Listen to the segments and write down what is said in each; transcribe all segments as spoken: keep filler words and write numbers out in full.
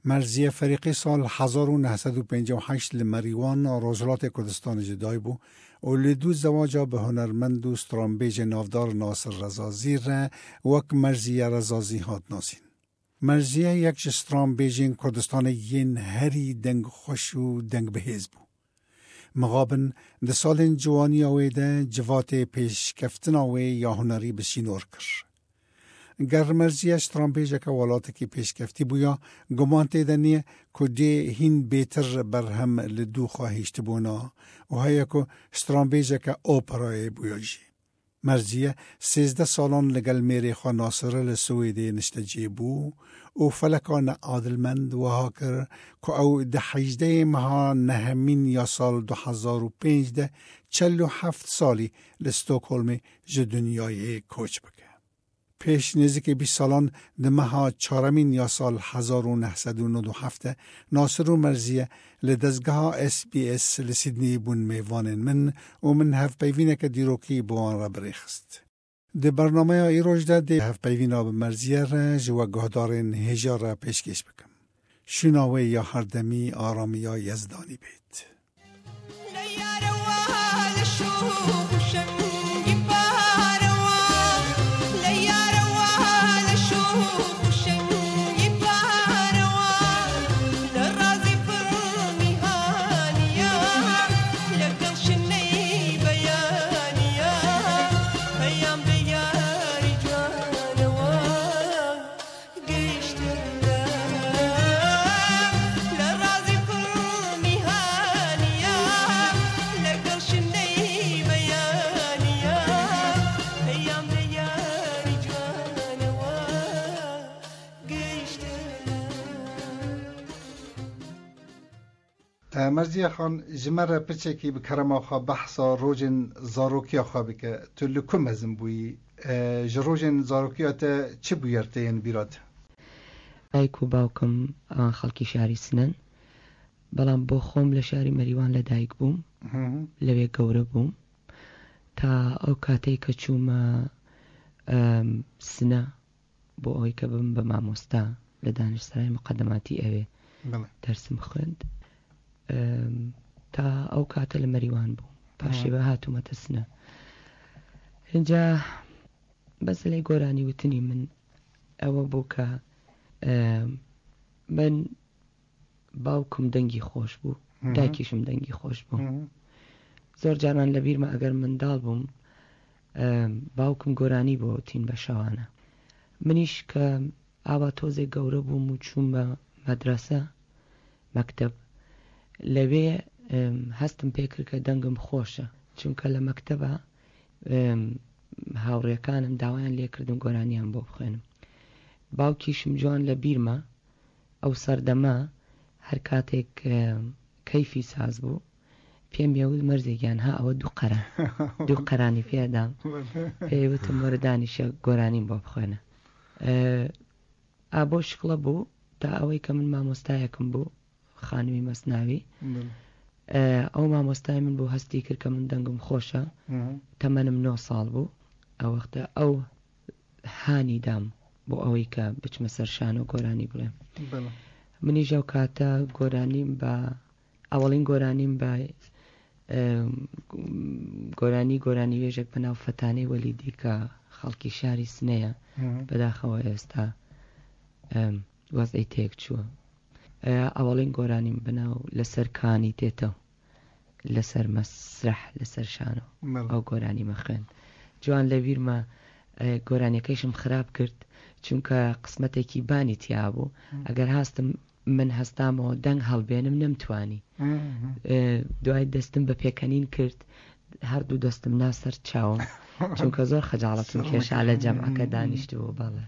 مەرزیە فەریقی ساڵ هەزار و نۆ سەد و پەنجا و هەشت لە مەریوان ڕۆژهەڵاتی کوردستان جدای بوو و لە دوو زەواجا بە هونەرمەند و سترانبێژ ناودار ناسر ڕەزازی ڕە وەک مەرزیە ڕەزازی هات ناسین. مەرزیە یەک ji stranbêjên Kurdistanê yên herî dengxweş û dengbihêz bû. Mixabin di salên ciwaniya wê de civatê pêşkeftina wê ya hunerî bi sînor kir. Ger Merziye stranbêjeke welatekî pêşkeftî bûya, guman tê de niye ku dê hîn bêtir berhem li dû xwe hiştibûna û heye ku stranbêjeke operayê bûya jî. Merziye sêzdeh salan li gel mêrê xwe Nasir li Swêdê niştecê bû û feleka neadilmend wiha kir ku ew di hejdehê meha nehemîn ya sal du hezar û pênc de çel û heft salî li Stockholmê ji dinyayê koç bike. Pêş nêzîkê bîst salan di meha çaremîn ya sal hezar û neh sed û nod û heft de Nasir û Merziye li dezgeha S B S li Sydneyê bûn mêvanên min û min hevpeyvîneke dîrokî bi wan re birêxist. Di bernameya îroj de dê hevpeyvîna bi Merziye re ji we guhdarên hêja re pêşkêş bikim. Şûna wê ya herdemî aramiya Yezdanî bêt. مەرزیە خان ji me re piçekî bi kerema xwe behsa rojên zarokiya xwe bike. Tu li ku mezin bûyî? Ji rojên zarokiya te çi bûyer te yên bîra te? دایک و باوکم ئەوان خەڵکی شاری سنەن، بەڵام بۆ خۆم لە شاری مەریوان لە دایک بووم، لەوێ گەورە بووم تا ئەو کاتەی کە چوومە سنە بۆ ئەوەی کە ببم بە مامۆستا لە دانیشتسرای مقەدەماتی ئەوێ دەرسم خوێند. تا ئەو کاتە لە مەریوان بوو، پاشی بە هاتوومەتە سنە. اینجا بەسەلەی گۆرانی وتنی من ئەوە بوو کە من باوکم دەنگی خۆش بوو، دایکیشم دەنگی خۆش بوو. زۆر جاران لە بیرمە ئەگەر منداڵ بووم باوکم گۆرانی بۆ وتین بە شەوانە. منیش کە ئاوا تۆزێک گەورە بووم و چووم بە مەدرەسە مەکتەب، لەوێ هەستم پێکرد کە دەنگم خۆشە، چونکە لە مەکتەبە هاوڕێکانم داوایان لێکردم گۆرانیان بۆ بخوێنم. باوکیشم جوان لە بیرمە ئەو سەردەمە هەر کاتێک کەیفی ساز بوو پێم یەوت مەرزێکیان ها ئەوە دوو قەران دوو قەرانی پێدام، پێی وتم وەرە دانیشە گۆرانیم بۆ بخوێنە. ئا بۆ شکڵە بوو تا ئەوەی کە من مامۆستایەکم بوو، خانمی مەسناوی، ئەو مامۆستای من بوو هەستی کرد کە من دەنگم خۆشە، تەمەنم نۆ ساڵ بوو. ئەو وەختە ئەو هانی دام بۆ ئەوەی کە بچمە سەر شانۆ گۆرانی بڵێم. منیش ئەو کاتە گۆرانیم بە ئەوەڵین گۆرانیم بە گۆرانی گۆرانی وێژێک بە ناو فەتانەی وەلیدی کە خەڵکی شاری سنەیە، بەداخەوە ئێستا وەزعی تێک چووە. ئەوەڵین گۆرانیم بەناو لەسەر کانی تێتەوە، لەسەر مەسرح، لەسەر شانۆ ئەو گۆرانیمە خوێند. جوان لە بیرمە گۆرانیەکەیشم خراپ کرد، چونکە قسمەتێکی بانی تیا بوو. ئەگەر هاستم من هەستامەوە دەنگ هەڵبێنم نەمتوانی. دوای دەستم بە پێکەنین کرد، هەردوو دەستم ناسەر چاوم، چونکە زۆر خەجاڵەتم کێشا لە جەمعەکە دانیشت بوو. بەڵێ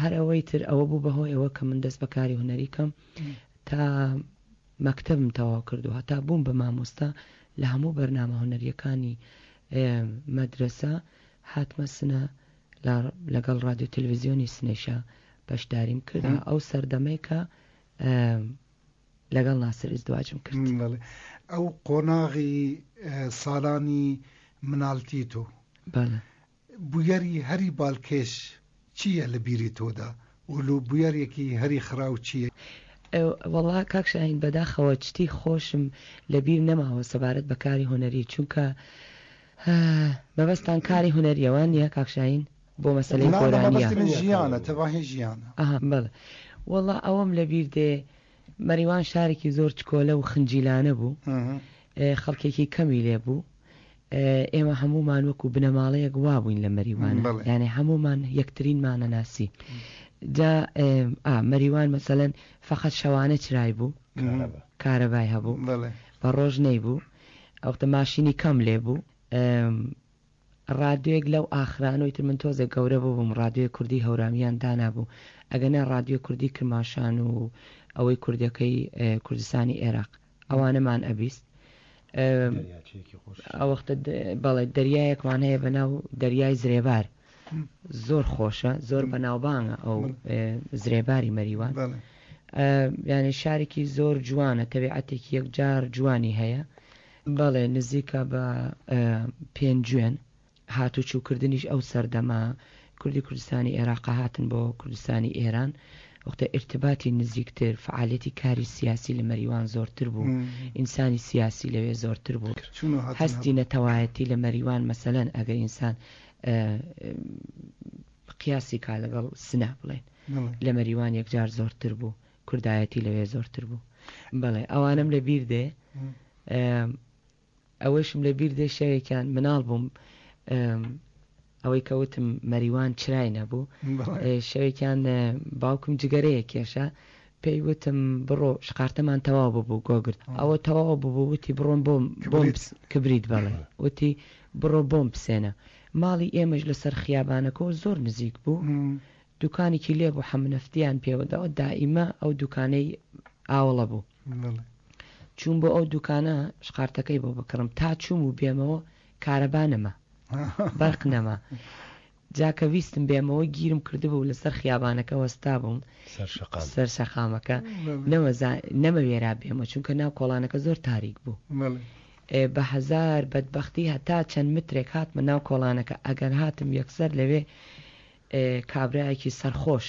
هەر ئەوەی تر ئەوە بوو بەهۆی ئەوە کە من دەست بەکاری هونەری کەم تا مەکتەبم تەواو کردو هەتا بووم بە مامۆستا لە هەموو بەرنامە هونەریەکانی مەدرەسە هاتمە سنە لەگەڵ رادیۆ تەلەڤیزیۆنی سنەیشا بەشداریم کرد. ئەو سەردەمەی کە لەگەڵ ناسر ئیزدواجم کرد. ئەو قۆناغی ساڵانی مناڵتی تۆ بەڵێ بوویەری هەری بالکێش چییە لە بیری تۆدا؟ و bûyerekî herî xiraw çi ye؟ وەڵا کاک شاهین بەداخەوە شتی خۆشم لەبیر نەماوە سەبارەت بە کاری هونەری، چونکە مەبەستان کاری هونەریەوە نییە کاک شاهین بۆ مەسەلەی گۆرانیە؟ مەبەستی من ژیانە، تەواهی ژیانە. ئەها بەڵێ، وەڵا ئەوەم لەبیر دێ مەریوان شارێکی زۆر چکۆلە و خنجیلانە بوو، خەڵکێکی کەمی لێ بوو. ئێمە هەمومان وەکو بنەماڵەیەک وابووین لە مەریوانە، یعنی هەمومان یەکترینمانە ناسی. جا ئا مەریوان مەسەلەن فقط شەوانە چرای بوو، کارەبای هەبوو، بە ڕۆژ نەیبوو، ئەوختە ماشینی کەم لێ بوو. ڕادیۆیەک لەو ئاخرانەوەی تر من تۆزێک گەورە بووم، ڕادیۆی کوردی هەورامیان دانابوو، ئەگەنا ڕادیۆی کوردی کرماشان و ئەوەی کوردەکەی کوردستانی عێراق ئەوانەمان ئەبیست. ئەوەختە بەڵێ دەریایەکمان هەیە بەناو دەریای زرێبار، زۆر خۆشە، زۆر بەناوبانگە ئەو زرێباری مەریوان. یعنی شارێکی زۆر جوانە، تەبیعەتێکی یەکجار جوانی هەیە. بەڵێ نزیکە بە پێنجوێن. هاتوچووکردنیش ئەو سەردەمە کوردی کوردستانی عێراق هاتن بۆ کوردستانی ئێران، وەختە ئرتباتی نزیکتر، فعالەتی کاری سیاسی لە مەریوان زۆرتر بوو، ئینسانی سیاسی لەوێ زۆرتر بوو، هەستی نەتەوایەتی لە مەریوان مەسەلەن ئەگەر ئینسان قیاسی کا لەگەڵ سنە بڵێن لە مەریوان یەکجار زۆرتر بوو، کوردایەتی لەوێ زۆرتر بوو. بەڵێ ئەوانم لە بیر دێ. ئەوەشم لە بیر دێ شەوێکیان مناڵ بووم، ئەوەی کەوتم مەریوان چرای نەبوو، شەوێکیان باوکم جگەرەیە کێشە، پێی وتم بڕۆ شقارتەمان تەواو ببوو گۆگرت، ئەوە تەواو ببوو، وتی بڕۆم بۆم کبریت، بەڵێ وتی بڕۆ بۆم بسێنە. ماڵی ئێمەش لەسەر خیابانەکەەوە زۆر نزیک بوو، دوکانێکی لێ بوو حەمنەفتیان پێوەداوە، دائیمە ئەو دوکانەی ئاوەڵە بوو. چوون بۆ ئەو دوکانە شقارتەکەی بۆ بکڕم، تا چووم و بێمەوە کارەبا نەما، بەرق نەما. جا کە ویستم بێمەوە گیرم کردبوو لەسەر خیابانەکە وەستا بووم، سەر شەقامەکە، نەمەوێرا بێمەوە چونکە ناو کۆڵانەکە زۆر تاریک بوو. بە هەزار بەدبەختی هەتا چەند مترێک هاتمە ناو کۆڵانەکە، ئەگەر هاتم یەکسەر لەوێ کابرایەکی سەرخۆش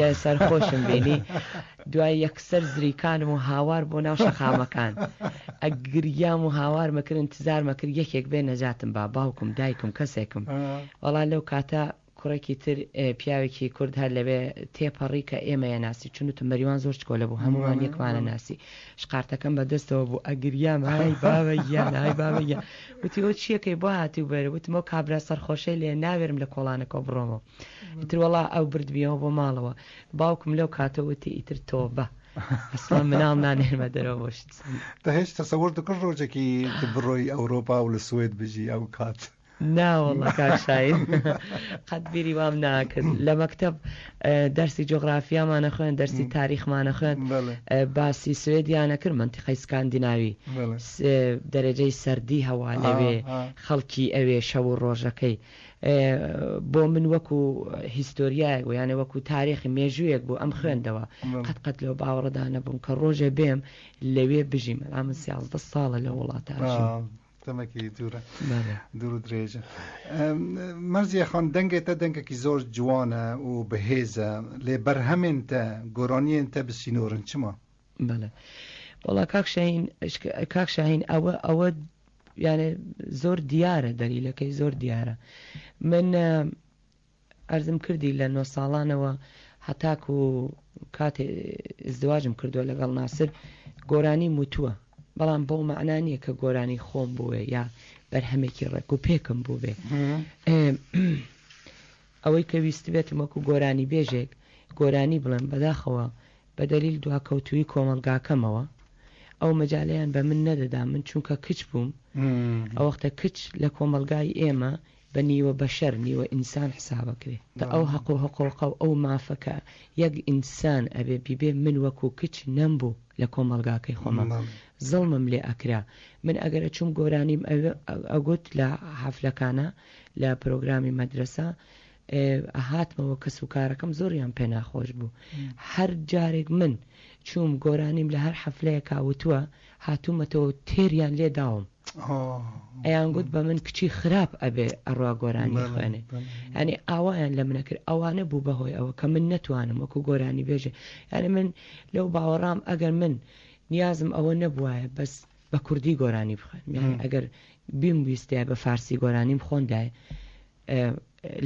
یا سەرخۆشم بینی، دوای یەکسەر زریکانم و هاوار بۆ ناو شەقامەکان ئەگریام و هاوار مەکرد، انتظار مەکرد یەکێک بێ نەجاتم با، باوکم دایکم کەسێکم. وەڵا لەو کاتە کوڕێکی تر پیاوێکی کورد هەر لەوێ تێپەڕی کە ئێمەیە ناسی، چونوتم مەریوان زۆر چکۆلە بوو، هەمووان یەکمانە ناسی. شقارتەکەم بەدەستەوە بوو، ئەگریام های بابە گیان های بابە گیان. وتی ئەو چیەکەی بۆ هاتی و بەرە؟ وتم ئەو کابرا سەرخۆشەی لێ ناوێرم لە کۆڵانەکەەوە بڕۆمەوە. ئیتر وەڵا ئەو بردبیەوە بۆ ماڵەوە. باوکم لەو کاتە وتی ئیتر تۆبە، ئەسڵا مناڵ نانێرمە دەرەوە بۆ شت. تە هێش تەسەوەر دەکرد ڕۆژێکی بڕۆی ئەوروپا و لە سوێد بژی ئەو کات؟ نا والله کاک شاهین قەت بیری وام ناکرد. لە مەکتەب دەرسی جوغرافیامانە خوێن، دەرسی تاریخمانە خوێن، باسی سوێدیانە کرد، منتیقەی سکاندیناوی، دەرەجەی سەردی هەوا لەوێ، خەڵکی ئەوێ شەو و ڕۆژەکەی. بۆ من وەکو هیستۆریایەک بوو، یانە وەکو تاریخی مێژوویەک بوو ئەم خوێندەوە. قەت قەت لەو باوەڕدا نەبووم کە ڕۆژێ بێم لەوێ بژیم. ئەمە سیازدە ساڵە لە وڵاتە ئەژیم. دەمێکی دوورە، دوور و درێژە. مەرزیە خان، دەنگێ تە دەنگێکی زۆر جوانە و بەهێزە، لێ بەرهەمێن تە گۆرانیێن تە بسینۆرن چما؟ بەڵێ وەڵا کاک شاهین، کاک شاهین ئەوە ئەوە یعنی زۆر دیارە، دەلیلەکەی زۆر دیارە. من ئەرزم کردی لە نۆ ساڵانەوە هەتاکو کاتێ ئزدواجم کردووە لەگەڵ ناسر گۆرانی موتووە، بەڵام بەو مەعنا نییە کە گۆرانی خۆم بووێ یا بەرهەمێکی ڕێک و پێکم بوو بێ. ئەوەی کە ویستبێتم وەکو گۆرانی بێژێک گۆرانی بڵێم، بەداخەوە بە دەلیل دواکەوتووی کۆمەڵگاکەمەوە ئەو مەجالەیان بە من نەدەدا. من چونکە کچ بووم، ئەو وەختە کچ لە کۆمەڵگای ئێمە بە نیوە بەشەر نیوە ئینسان حسابەکرێ. ئەو حەق و حقوقە و ئەو مافەکە یەک ئینسان ئەبێ بیبێ، من وەکو کچ نەمبوو لە کۆمەڵگاکەی خۆمە، زڵمم لێ ئەکرا. من ئەگەر چوم گۆرانیم ئەگوت لە حەفلەکانە لە پرۆگرامی مەدرسە هاتمەوە کەس و کارەکەم زۆریان پێ ناخۆش بوو. هەر جارێک من چوم گۆرانیم لە هەر حەفلەیەکا وتووە، هاتوومەتەوە تێریان لێ داوم. ئەیان گوت بە من کچی خراپ ئەبێ ئەڕوا گۆرانی خوێنێ. یعنی ئاوایان لە منە کرد. ئەوانە بوو بەهۆی ئەوە کە من نەتوانم وەکو گۆرانی بێژێ. یعنی من لەو باوەڕام ئەگەر من نیازم ئەوە نەبوایە بەس بە کوردی گۆرانی بخوێنم، یعنی ئەگەر بیم ویستایە بە فارسی گۆرانیم خۆندایە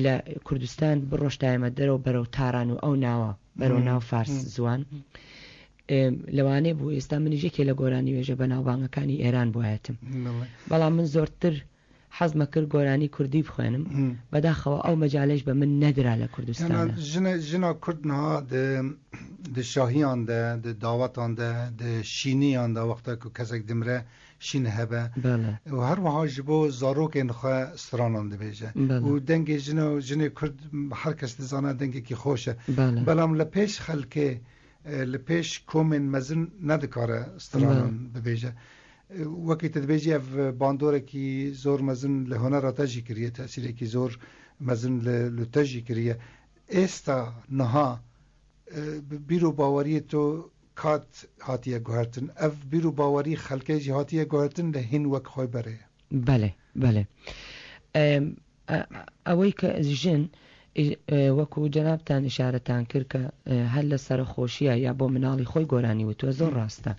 لە کوردستان بڕۆشتایمە دەرەوە بەرەو تاران و ئەو ناوە بەرەو ناو فارس زوان، لەوانەیە بوو ئێستا منیش یەکێ لە گۆرانی وێژە بەناوبانگەکانی ئێران بوایەتم. بەڵام من زۆرتر حەزمە کرد گۆرانی کوردی بخوێنم، بەداخەوە ئەو مەجالەش بە من نەدرا لە کوردستان. ژنا کورد نها di şahiyan de, di dawetan de, di şîniyan de wexta ku kesek dimre şîn hebe û her wiha ji bo zarokên xwe stranan dibêje û dengê jina jinê Kurd her kes dizane dengekî xweş e, belam li pêş xelkê li pêş komên mezin nedikare stranan bibêje. Wekî te dibêjî ev bandorekî zor mezin li hunera te jî kiriye, tesîrekî zor mezin li te jî kiriye. Êsta niha bîr û baweriyê tu kat hatiye guhertin, ev bîr û bawerî xelkê jî hatiye guhertin li hîn wek xwe berê. Belê, belê. ئەوەی کە ژن وەکو جەنابتان ئشارەتان کرد کە هەر لە سەرخۆشیە یا بۆ مناڵی خۆی گۆرانی وتووە زۆر ڕاستە،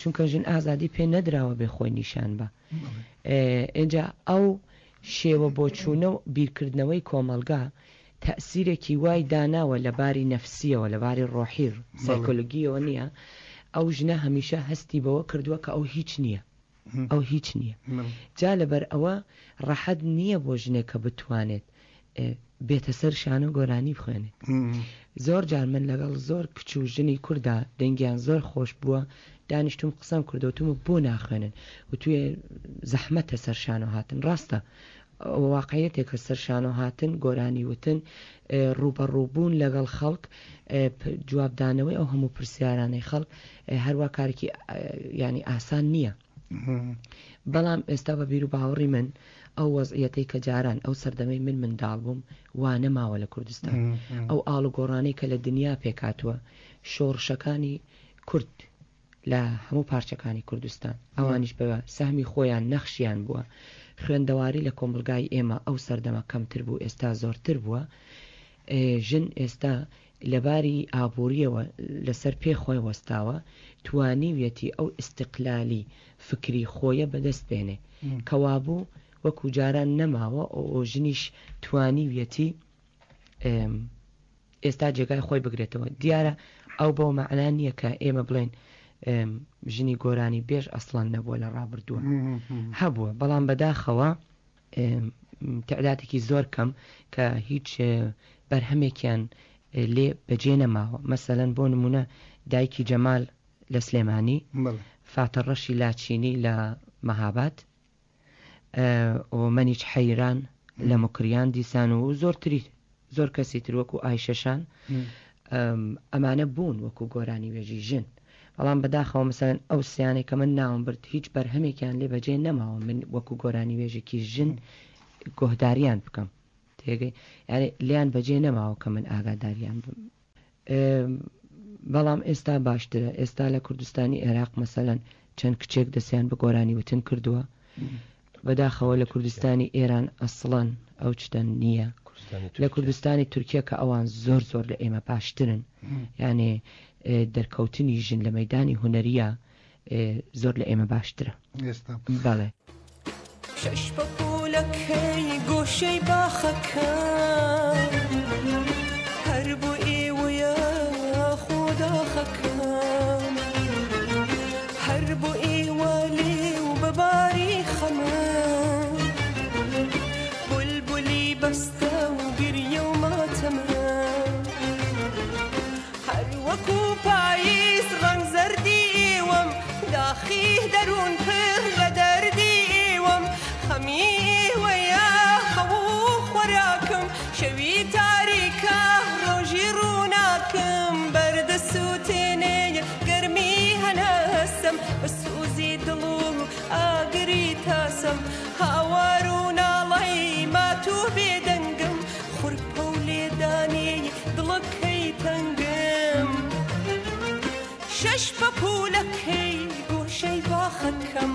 چونکە ژن ئازادی پێ نەدراوە بێ خۆی نیشان بە. ئینجا ئەو شێوە بۆچوونە و بیرکردنەوەی کۆمەڵگا تەئسیرێکی وای داناوە لە باری نەفسیەوە، لە باری ڕۆحی سایکۆلۆگیەوە نییە. ئەو ژنە هەمیشە هەستی بەوە کردووە کە ئەو هیچ نییە، ئەو هیچ نییە. جا لەبەر ئەوە ڕەحەت نییە بۆ ژنێک کە بتوانێت بێتە سەر شانە گۆرانی بخوێنێت. زۆر جار من لەگەڵ زۆر کچ و ژنی کووردا دەنگیان زۆر خۆش بووە، دانیشتم قسەم کردوتم بۆ ناخوێنن و توێ زەحمەتە سەر شانە هاتن. ڕاستە واقعیەتێکە سەر شانە هاتن، گۆرانی وتن، ڕووبەڕووبوون لەگەڵ خەڵک، جوابدانەوەی ئەو هەموو پرسیارانەی خەڵک هەروە کارێکی ینی ئاسان نییە. بەڵام ئێستا بە بیر و باوەڕی من ئەو وەزعیەتەی کە جاران ئەو سەردەمەی من منداڵ بووم وا نەماوە لە کوردستان. ئەو ئاڵوگۆڕانەی کە لە دنیا پێکاتوە، شۆڕشەکانی کورد لە هەموو پارچەکانی کوردستان، ئەوانیش بە سەهمی خۆیان نەخشیان بووە. خوێندەواری لە کۆمەڵگای ئێمە ئەو سەردەمە کەمتر بوو، ئێستا زۆرتر بووە. ژن ئێستا لەباری ئابووریەوە لەسەر پێ خۆی وەستاوە، توانیویەتی ئەو ئیستیقلالی فکری خۆیە بەدەست بێنێ، کەوابوو وەکو جاران نەماوە. ئەو ژنیش توانیویەتی ئێستا جێگای خۆی بگرێتەوە. دیارە ئەو بەو مەعنا نییە کە ئێمە بڵێن ژنی گۆرانی بێژ ئەسڵان نەبووە لە ڕابردووە، هەبووە، بەڵام بەداخەوە تعدادێکی زۆر کەم کە هیچ بەرهەمێکیان لێ بەجێ نەماوە. مەسەلەن بۆ نمونە دایکی جەمال لە سلێمانی، فاتە ڕەشی لاچینی لە مەهاباد، و مەنیچ حەیران لە مکریان دیسان و زۆرتری زۆر کەسی تر وەکو ئایشەشان، ئەمانە بوون وەکو گۆرانی وێژی ژن. بەڵام بەداخەوە مەسەلەن ئەو سیانەی کە من ناوم برد هیچ بەرهەمێکیان لێ بەجێ نەماوە من وەکو گۆرانی وێژێکی ژن گۆهداریان بکەم. تێگەی یعنی لیان بەجێ نەماوە کە من ئاگاداریان بم. بەڵام ئێستا باشترە. ئێستا لە کوردستانی عێراق مەسەلەن چەند کچێک دەستیان بە گۆرانی وتن کردووە. بەداخەوە لە کوردستانی ئێران ئەسڵەن ئەو شتە نییە. لە کوردستانی تورکیا کە ئەوان زۆر زۆر لە ئێمە باشترن، یعنی دەرکەوتنی ژن لە مەدانی هونەریە زۆر لە ئێمە باشترە. بەڵێ. شەش پەپوولەکەی گۆشەی باخەکە هەر بۆ ئێوەیە خۆداخەکەم، هەر بۆ ئێوە لێو بەباری خەمە، بولبولی بەستە و گریە و ماتەمە، هەر وەکو پاییز ڕەنگ زەردی ئێوەم، داخی دەروون پڕ لە دەردی ئێوەم، خەمی ئێوەیە خەو و خۆراکم، شەوی تاریکە ڕۆژی ڕووناکم، بەردە سووتێنێ گەرمی هەناسم، بە سوزی دڵ و ئاگری تاسم، هاوار و ناڵەی مات و بێدەنگم، خورپە و لێدانی دڵەکەی تەنگم، شەش پەپوولەکەی گۆشەی باخەکەم.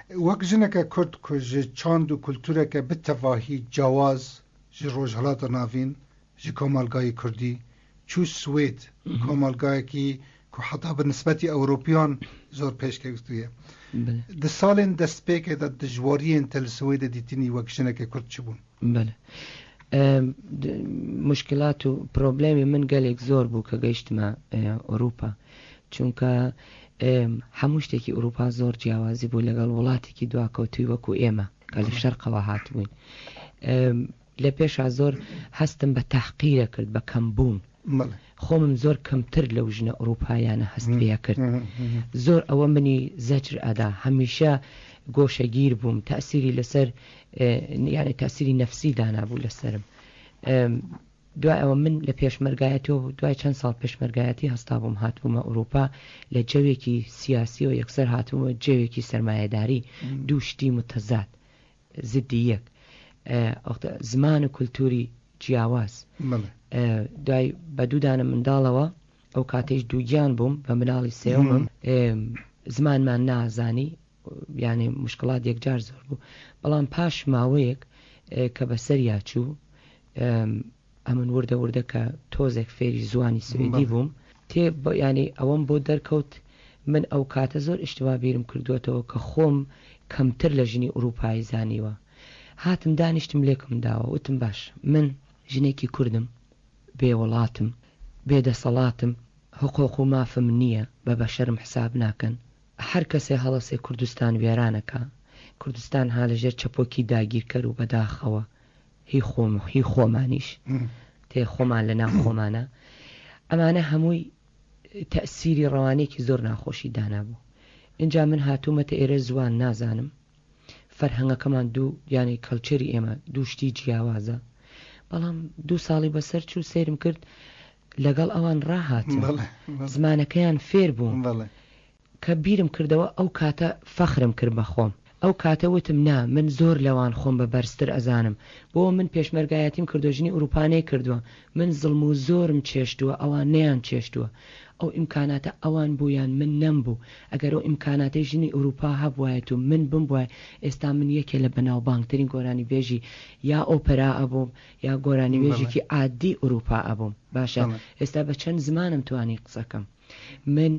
وەک ژنەکە کورد ku ji çand û kultureke bi tevahî cewaz ji Rojhilata Navîn ji komalgayê Kurdî çû Swêd komalgayekî ku heta bi nisbetî Ewropiyan zor pêşketiye. Di salên destpêkê de dijwariyên te li Swêdê dîtinî wek jineke Kurd çi bûn? Bele. مشکلات و پرۆبلێمی من گەلێک زۆر بوو کە گەیشتمە ئەوروپا، چونکە هەموو شتێکی ئەوروپا زۆر جیاوازی بوو لەگەڵ وڵاتێکی دواکەوتووی وەکو ئێمە کە لە شەرقەوە هاتبووین. لە پێشا زۆر هەستم بە تەحقیرە کرد، بە کەمبوون. خۆمم زۆر کەمتر لەو ژنە ئەوروپایانە هەست پێ کرد. زۆر ئەوە منی زەجر ئەدا، هەمیشە گۆشەگیر بووم، تەسیری لەسەر یعنی تەسیری نەفسی دانابوو لەسەرم. دوای ئەوە من لە پێشمەرگایەتیەوە دوای چەند ساڵ پێشمەرگایەتی هەستا بووم هاتبوومە ئەوروپا لە جەوێکی سیاسیەوە یەکسەر هاتبوومە جەوێکی سەرمایەداری، دوو شتی متەزاد زدی یەک، زمان و کولتوری جیاواز. دوای بە دوودانە منداڵەوە ئەو کاتێش دووگیان بووم بە مناڵی سێومم، زمانمان نازانی، یعنی مشکلات یەکجار زۆر بوو. بەڵام پاش ماوەیەک کە بەسەریا چوو ئەمن وردە وردە کە تۆزێک فێری زوانی سوئدی بووم، تێ ینی ئەوەم بۆ دەرکەوت من ئەو کاتە زۆر ئیشتوا بیرم کردوێتەوە کە خۆم کەمتر لە ژنی ئەوروپایی زانیوە. هاتم دانیشتم لێکم داوە، وتم باش من ژنێکی کوردم، بێ وڵاتم، بێ دەسەڵاتم، حقوق و مافم نییە، بە بەشەرم حساب ناکەن. هەر کەسێ هەڵەسێ کوردستان وێرانەکە، کوردستان ها لەژێر چەپۆکی داگیرکەر و بەداخەوە هی خۆم هی خۆمانیش تێ خۆمان لە ناو خۆمانە. ئەمانە هەمووی تەسیری ڕەوانێکی زۆر ناخۆشی دانابوو. اینجا من هاتوومەتە ئێرە زوان نازانم، فەرهەنگەکەمان دوو یعنی کەلچەری ئێمە دوو شتی جیاوازە. بەڵام دوو ساڵی بەسەر چوو سەیرم کرد لەگەڵ ئەوان ڕاهاتم، زمانەکەیان فێر بووم. کە بیرم کردەوە ئەو کاتە فەخرم کرد بە خۆم. ئەو کاتە وتم نا من زۆر لەوان خۆم بە بەرزتر ئەزانم، بۆ من پێشمەرگایەتیم کردو ژنی ئەوروپانەی کردووە، من زڵم و زۆرم چێشتووە ئەوان نەیان چێشتووە. ئەو ئیمکاناتە ئەوان بوویان من نەمبوو. ئەگەر ئەو ئیمکاناتەی ژنی ئەوروپا هەبوایەت و من بم بووایە ئێستا من یەکێ لە بەناوبانگترین گۆرانیبێژی یا ئۆپەرا ئەبووم یا گۆرانیبێژێکی عادی ئەوروپا ئەبووم. باشە ئێستا بە چەند زمانم توانی قسەکەم. من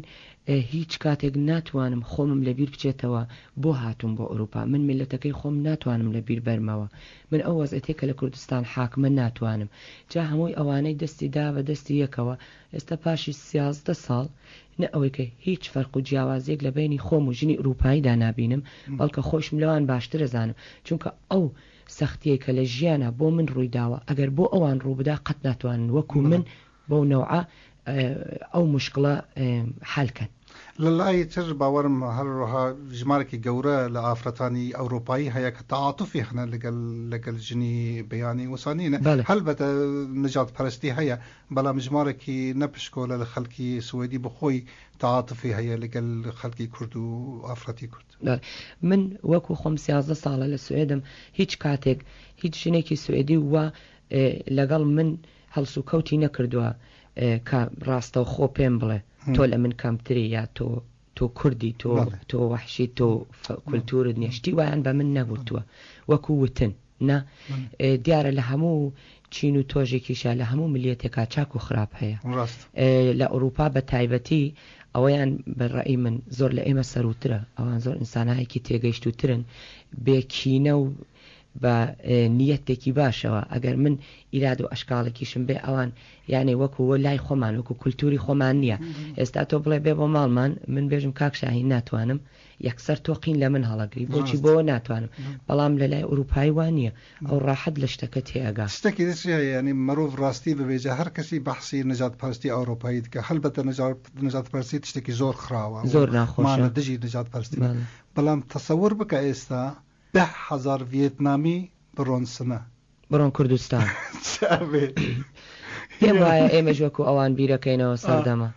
هیچ کاتێک ناتوانم خۆمم لەبیر بچێتەوە بۆ هاتوم بۆ ئەوروپا، من میلەتەکەی خۆم ناتوانم لەبیر بەرمەوە، من ئەو وەزعەتێک کە لە کوردستان حاکمە ناتوانم. جا هەمووی ئەوانەی دەستی دا بە دەستی یەکەوە ئێستا پاشی سیازدە ساڵ نە ئەوەی کە هیچ فەرق و جیاوازیەک لە بینی خۆم و ژنی ئەوروپاییدا نابینم، بەڵکە خۆشم لەوان باشتر ئەزانم، چونکە ئەو سەختیە کە لە ژیانە بۆ من ڕووی داوە ئەگەر بۆ ئەوان ڕوو بدا قەت ناتوانن وەکو من بەو نەوعە ئەو مشکلە حالکەن. لەلای تر باوەڕم هەروەها ژمارێکی گەورە لە ئافرەتانی ئەوروپایی هەیە کە تەعاتوفی هەنە لەگەڵ لەگەڵ ژنی بەیانی وسانینە. هەلبەتە نەژاد پەرستی هەیە، بەڵام ژمارێکی نەپشکۆلە لە خەڵکی سوئدی بخۆی تەعاتوفی هەیە لەگەڵ خەڵکی کورد و ئافرەتی کورد. من وەکو خۆم سیازدە ساڵە لە سوئدم، هیچ کاتێک هیچ ژنێکی سوئدی وە لەگەڵ من هەڵسوکەوتی نەکردووە کە ڕاستەوخۆ پێم بڵێ تۆ لە من کەمتری یا تۆ تۆ کوردی تۆ تۆ وەحشی تۆ کولتورت نییە، شتی وایان بە من نەگوتووە وەکو وتن نا. دیارە لە هەموو چین و تۆژێکیشە لە هەموو ملیەتێکا چاک و خراپ هەیە. لە ئەوروپا بە تایبەتی ئەوەیان بەڕئی من زۆر لە ئێمە سەروترە، ئەوان زۆر ئینسانایەکی تێگەیشتوترن بێکینە و بە نیەتێکی باشەوە. ئەگەر من ئیراد و ئەشکاڵێکیشم بێ ئەوان یعنی وەکو لای خۆمان وەکو کولتوری خۆمان نییە. ئێستا تۆ بڵێ بێ بۆ ماڵمان من بێژم کاک شاهین ناتوانم، یەکسەر تۆقین لە من هەڵەگری بۆچی بۆ ناتوانم. بەڵام لە لای ئەوروپایی وان نییە، ئەو ڕاحەت لە شتەکە تێئەگا. شتێکی دیش هەیە، یعنی مرۆڤ ڕاستی ببێژە هەر کەسی بەحسی نەژادپەرستی ئەوروپایی دکە، هەلبەتە نەژادپەرستی شتێکی زۆر خراوە، زۆر ناخۆشە، مانە دژی نەژادپەرستی. بەڵام تەسەور بکە ئێستا ده هزار ڤیێتنامی بڕۆن سنە، بڕۆن کوردستان. پێم وایە ئێمەش وەکو ئەوان بیرەکەینەوە سەردەمە.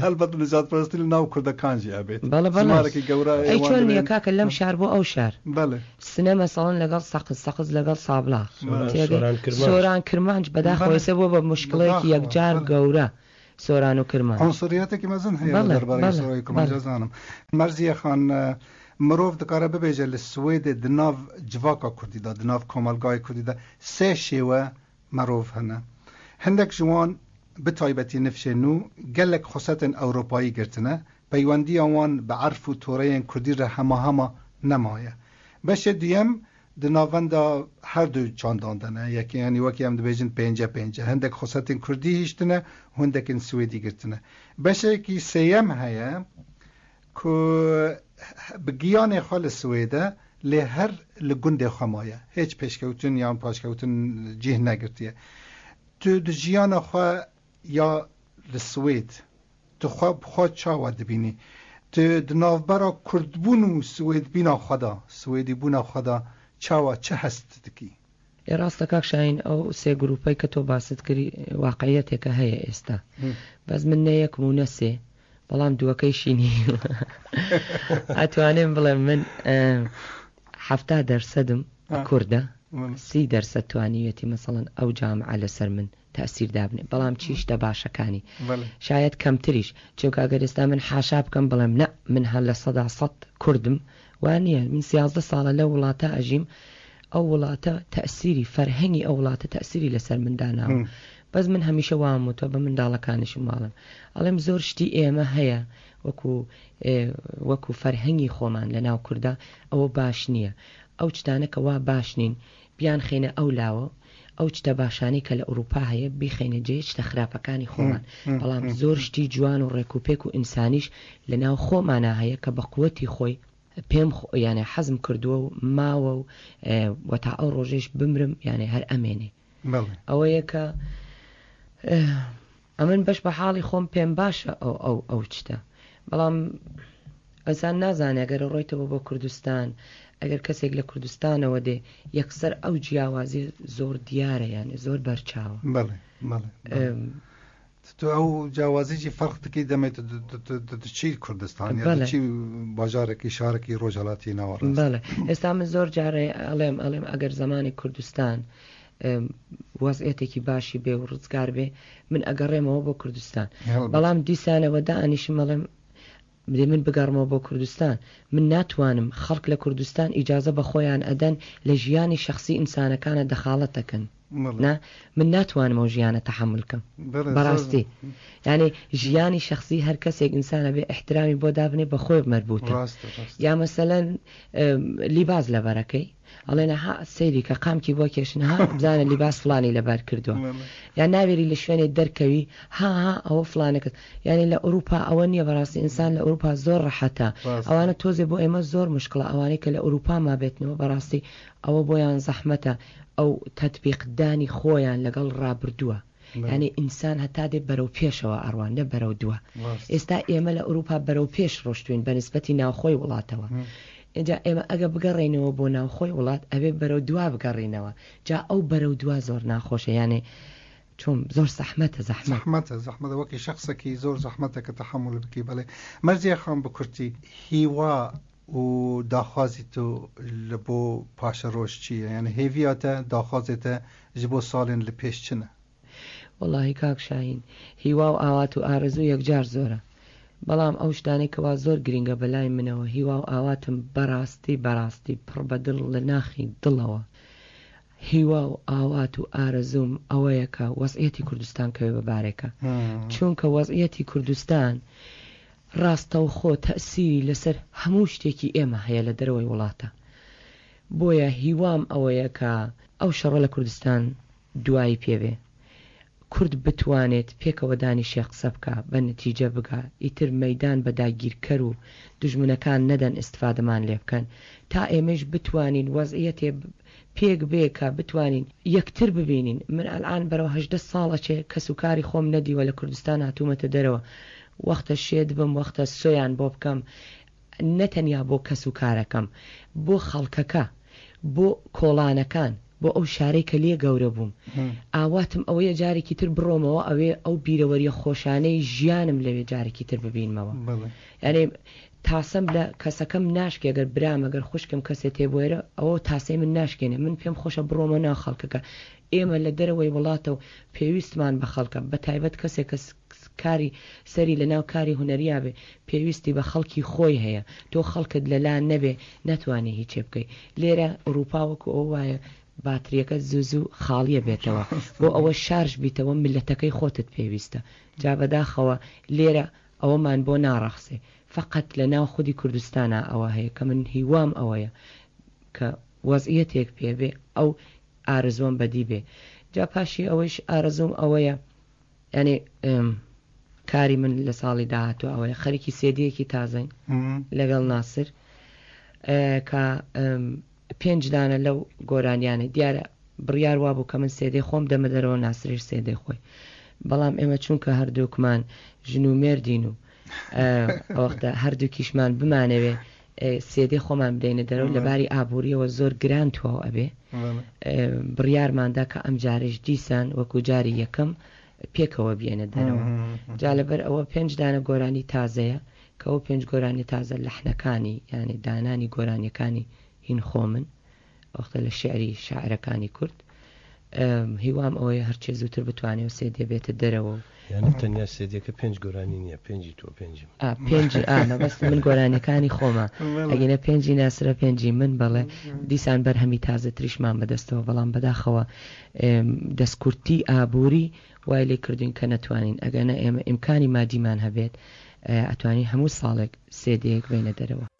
هەلبەت نەژادپەرستی لە ناو کوردەکانجی ئەبێت. بەڵێ بەڵێ. ژمارێکی گەورە ئەی چۆن نییە کاکە لەم شار بۆ ئەو شار؟ بەڵێ. سنە مەسەڵەن لەگەڵ سەقز، سەقز لەگەڵ سابڵاغ، سۆران کرمانج بەداخەوە ئێستا بۆ بە مشکلێکی یەکجار گەورە سۆران و کرمانج. عنصریەتێکی مەزن هەیە دەربارەی سۆران و کرمانج ئەزانم. مەرزیە خان، مرۆڤ دکارە ببێژە لە سوێدێ دناو جڤاکا کوردی دا، دناو کۆمەڵگای کوردی دا سێ شێوە مرۆڤ هەنە. هەندێک ژوان بە تایبەتی نفشێ نوو gelek xwesetên Ewropayî girtine، peywendiya wan bi erf û toreyên Kurdî re hema hema nemaye. Beşê duyem di navenda her du çandan de ne, yekê yanî wekî em dibêjin pênce pênce, hindek xwesetên Kurdî hiştine û hindekên Swêdî girtine. Beşekî sêyem heye ku bi giyanê xwe li Swêde lê her li gundê xwe maye, hêç pêşkewtin yan paşkewtin cih negirtiye. Tu di jiyana xwe ya li Swêd tu xwe bi xwe çawa dibînî؟ Tu di navbera Kurdbûn û Swêdbîna xwe da، Swêdîbûna xwe da çawa çi hest dikî؟ ئێ ڕاستە کاک شاهین، ئەو سێ گروپەی کە تۆ باست کردی واقعیەتێکە هەیە ئێستا، بەس من نە یەکم و نە سێ، بەڵام دووەکەیشی نییە. ئەتوانم بڵێم من حەفتا دەرسەدم کوردە، سی دەرسەد توانیویەتی مەسەڵەن ئەو جامعە لەسەر من تەئسیر دابنێ، بەڵام چیشتە باشەکانی شاید کەمتریش، چونکە ئەگەر ئێستا من حاشا بکەم بڵێم نە من هەر لە سەدا سەد کوردم، وانییە. من سیازدە ساڵە لەو وڵاتە ئەژیم، ئەو وڵاتە تەئسیری فەرهەنگی ئەو وڵاتە تەئسیری لەسەر من داناوە. بەس من هەمیشە وام وتووە بە منداڵەکانیشم واڵم، ئەڵێم زۆر شتی ئێمە هەیە وەکو وەکو فەرهەنگی خۆمان لە ناو کووردا ئەوە باش نییە. ئەو شتانە کە وا باش نین بیان خێنە ئەو لاوە، ئەو شتە باشانەی کە لە ئەوروپا هەیە بیخەینە جێ شتە خراپەکانی خۆمان. بەڵام زۆر شتی جوان و ڕێکوپێک و ئینسانیش لە ناو خۆمانە هەیە کە بە قوەتی خۆی پێم یانێ حەزم کردووە و ماوە و وە تا ئەو ڕۆژێش بمرم یانێ هەر ئەمێنێ. ئەوەیە کە ئەمن بەش بە حاڵی خۆم پێم باشە ئەو ئەو ئەو شتە، بەڵام ئەنسان نازانێ ئەگەر ڕۆیتەوە بۆ کوردستان، ئەگەر کەسێک لە کوردستانەوە دێ یەکسەر ئەو جیاوازی زۆر دیارە، یانێ زۆر بەرچاوە. بەڵێ بەڵێ تو ئەو جیاوازیی فەرق دەکەی دەمێت چی کوردستان یا چی باژارێکی شارێکی ڕۆژهەڵاتی ناوەڕاست. بەڵێ ئێستا من زۆر جارێ ئەڵێم ئەڵێم ئەگەر زمانی کوردستان وەزعیەتێکی باشی بێ و ڕزگار بێ من ئەگەڕێمەوە بۆ کوردستان، بەڵام دیسانەوە دانیشم ئەڵێم بدێ من بگەڕمەوە بۆ کوردستان، من ناتوانم. خەڵک لە کوردستان ئیجازە بە خۆیان ئەدەن لە ژیانی شخصی ئینسانەکانە دەخاڵەت دەکەن، نا من ناتوانم ئەو ژیانە تەحەمول کەم بەڕاستی. یعنی ژیانی شخصی هەر کەسێک ئینسانە بێ احترامی بۆ دابنێ بە خۆی مەربوتە. یا مەسەلەن لیباس لەبەرەکەی ئەڵێنە ها سەیری کە قامکی بۆ کێشن، ها بزانە لیباس فلانی لەبەر کردووە، یان ناوێری لە شوێنێ دەرکەوی ها ها ئەوە فلانەکەت. یعنی لە ئەوروپا ئەوە نییە بەڕاستی، ئینسان لە ئەوروپا زۆر ڕەحەتە. ئەوانە تۆزێ بۆ ئێمە زۆر مشکلە، ئەوانەی کە لە ئەوروپا مابێتنەوە بەڕاستی ئەوە بۆیان زەحمەتە ئەو تەطبیقدانی خۆیان لەگەڵ ڕابردووە. یعنی ئینسان هەتا دێ بەرەو پێشەوە ئەڕوان نە بەرەو دووە. ئێستا ئێمە لە ئەوروپا بەرەو پێش ڕۆشتوین بە نسبەتی ناوخۆی وڵاتەوە. اینجا ئێمە ئەگە بگەڕێینەوە بۆ ناوخۆی وڵات ئەبێ بەرەو دوا بگەڕێینەوە. جا ئەو بەرەو دوا زۆر ناخۆشە، یانێ چۆن زۆر زەحمەتە. زەحمەتە زەحمەتە وەکی شخصێکی زۆر زەحمەتە کە تەحەمول بکەی. بەڵێ مەرزیە خان بە کورتی هیوا و داخوازی تو لە بۆ پاشە ڕۆژ چییە؟ یعنی هێڤیاتە داخوازێتە ji بۆ ساڵێن لە پێش چنە؟ وەڵاهی کاک شاهین هیوا و ئاوات و ئارەزوو یەکجار زۆرە، بەڵام ئەو شتانەی کەوا زۆر گرنگە بەلای منەوە هیوا و ئاواتم بەڕاستی بەڕاستی پڕ بە دڵ لە ناخی دڵەوە هیوا و ئاوات و ئارەزووم ئەوەیە کە وەزعیەتی کوردستان کەوێ بە بارێکە، چونکە وەزعیەتی کوردستان ڕاستەوخۆ تەئسیری لەسەر هەموو شتێکی ئێمە هەیە لە دەرەوەی وڵاتە. بۆیە هیوام ئەوەیە کە ئەو شەڕە لە کوردستان دوایی پێبێ، کورد بتوانێت پێکەوە دانیشێ قسە بکە، بە نەتیجە بگا، ئیتر مەدان بە داگیرکەر و دژمنەکان نەدەن ئیسفادەمان لێ بکەن، تا ئێمەش بتوانین وەزعیەتێ پێک بێ کە بتوانین یەکتر ببینین. من ئەلان بەرەو هەژدە ساڵە چێ کەس و کاری خۆم نەدیوە لە کوردستان هاتوومەتە دەرەوە، وەختە شێت بم، وەختە سۆیان بۆ بکەم، نەتەنیا بۆ کەس و کارەکەم، بۆ خەڵکەکە، بۆ کۆڵانەکان، بۆ ئەو شارەی کە لێ گەورە بووم. ئاواتم ئەوەیە جارێکی تر بڕۆمەوە ئەوێ ئەو بیرەوەریە خۆشانەی ژیانم لەوێ جارێکی تر ببینمەوە. یعنی تاسەم لە کەسەکەم ناشکێ، ئەگەر برام ئەگەر خوشکم کەسێ تێبوێرە ئەوە تاسەی من ناشکێنێ، من پێم خۆشە بڕۆمە ناو خەڵکەکە. ئێمە لە دەرەوەی وڵاتە و پێویستمان بە خەڵکە، بە تایبەت کەسێک کە کاری سەری لە ناو کاری هونەریا بێ پێویستی بە خەڵکی خۆی هەیە، تۆ خەڵکت لەلا نەبێ ناتوانێ هیچێ بکەی. لێرە ئورووپا وەکو ئەوە وایە باتریەکەت زوو زوو خاڵیە بێتەوە، بۆ ئەوە شارژ بیتەوە میللەتەکەی خۆتت پێویستە. جا بەداخەوە لێرە ئەوەمان بۆ ناڕەخسێ، فەقەت لە ناو خودی کوردستانا ئەوە هەیە کە من هیوام ئەوەیە کە وەزعیەتێک پێ بێ ئەو ئارەزووەم بەدی بێ. جا پاشی ئەوەیش ئارەزووم ئەوەیە یانی کاری من لە ساڵی داهاتوو ئەوەیە خەریکی سێدیەکی تازەین لەگەڵ ناسر کە پێنج دانە لەو گۆرانیانە دیارە بڕیار وابوو کە من سێدەی خۆم دەمە دەرەوە ناسریش سێدەی خۆی بەڵام ئێمە چونکە هەردووکمان ژن و مێردین و ئەوەختە هەردووکیشمان بمانەوێ سێدەی خۆمان بدەینە دەرەوە لە باری ئابووریەوە زۆر گران تواو ئەبێ بڕیارماندا کە ئەم جارش دیسان وەکو جاری یەکەم پێکەوە بێنە دەرەوە. جا لەبەر ئەوە پێنج دانە گۆرانی تازەیە کە ئەو پێنج گۆرانی تازە لەحنەکانی یعنی دانانی گۆرانیەکانی هین خۆمن وەختە لە شعری شاعرەکانی کورد. هیوام ئەوەیە هەرچێ زووتر بتوانێت و سێدێ بێتە دەرەوە. یعنی تەنیا سێدێکە پێنج گۆرانی نییە، پێنجی تۆ پێنجی من. ئا، پێنجی، ئا، مەبەست من گۆرانیەکانی خۆمە. ئەگەینە پێنجی ناسرە پێنجی من، بەڵێ دیسان بەرهەمی تازەتریشمان بەدەستەوە، بەڵام بەداخەوە، ئێم، دەستکورتی ئابووری وای لێ کردوین کە نەتوانین. ئەگەنە ئێمە ئیمکانی مادیمان هەبێت، ئێ، ئەتوانین هەموو ساڵێک سێدەیەک بینە دەرەوە.